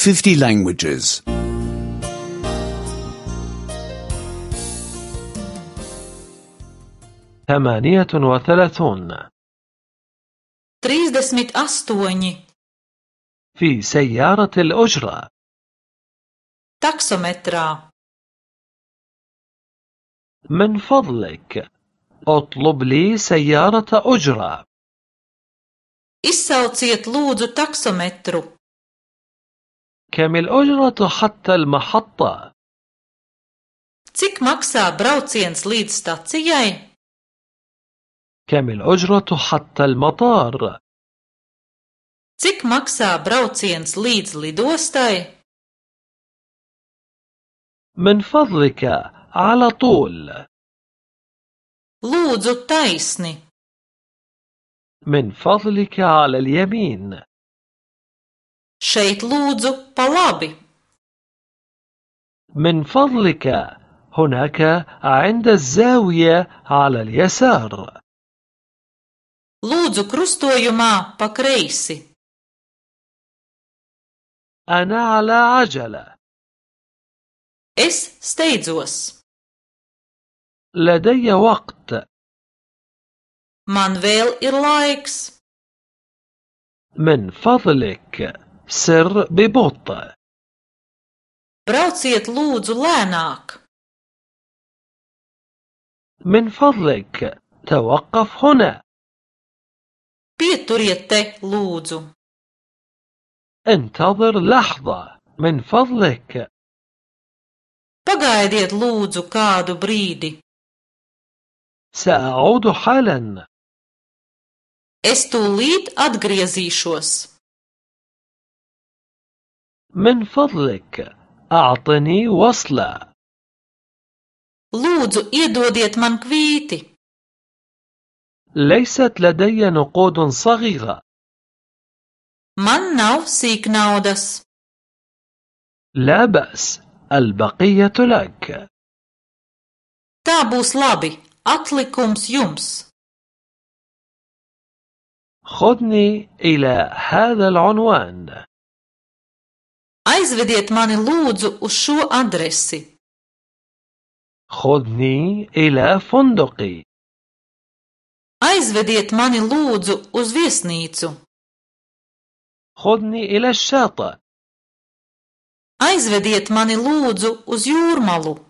50 languages. 38 38 في سيارة الأجرة. taksometrā. من فضلك اطلب لي سيارة أجرة. Izsauciet lūdzu taksometru. كم الأجرة حتى المحطة؟ Cik maksā brauciens līdz stacijai? كم الأجرة حتى المطار؟ Cik maksā brauciens līdz lidostai? من فضلك على طول. Lūdzu taisni. من فضلك على اليمين. Šeit lūdzu pa labi. من فضلك هناك عند الزاوية على اليسار. Lūdzu krustojumā pa kreisi. أنا على عجلة. Es steidzos. لدي وقت. Man vēl ir laiks. من فضلك سر ببطء. Brauciet lūdzu lēnāk. من فضلك توقف هنا. Pieturiet te lūdzu. انتظر لحظة من فضلك. Pagaidiet lūdzu kādu brīdi. سأعود حالا. Es tūlīt atgriezīšos. من فضلك أعطني وصلة. Lūdzu iedodiet man kvīti. ليست لدي نقود صغيرة. Man nav sīknaudas. لا بأس، البقية لك. Tā būs labi. Atlikums jums. خذني إلى هذا العنوان. Aizvediet mani lūdzu uz šo adresi. خذني إلى فندقي. Aizvediet mani lūdzu uz viesnīcu. خذني إلى الشاطئ. Aizvediet mani lūdzu uz jūrmalu.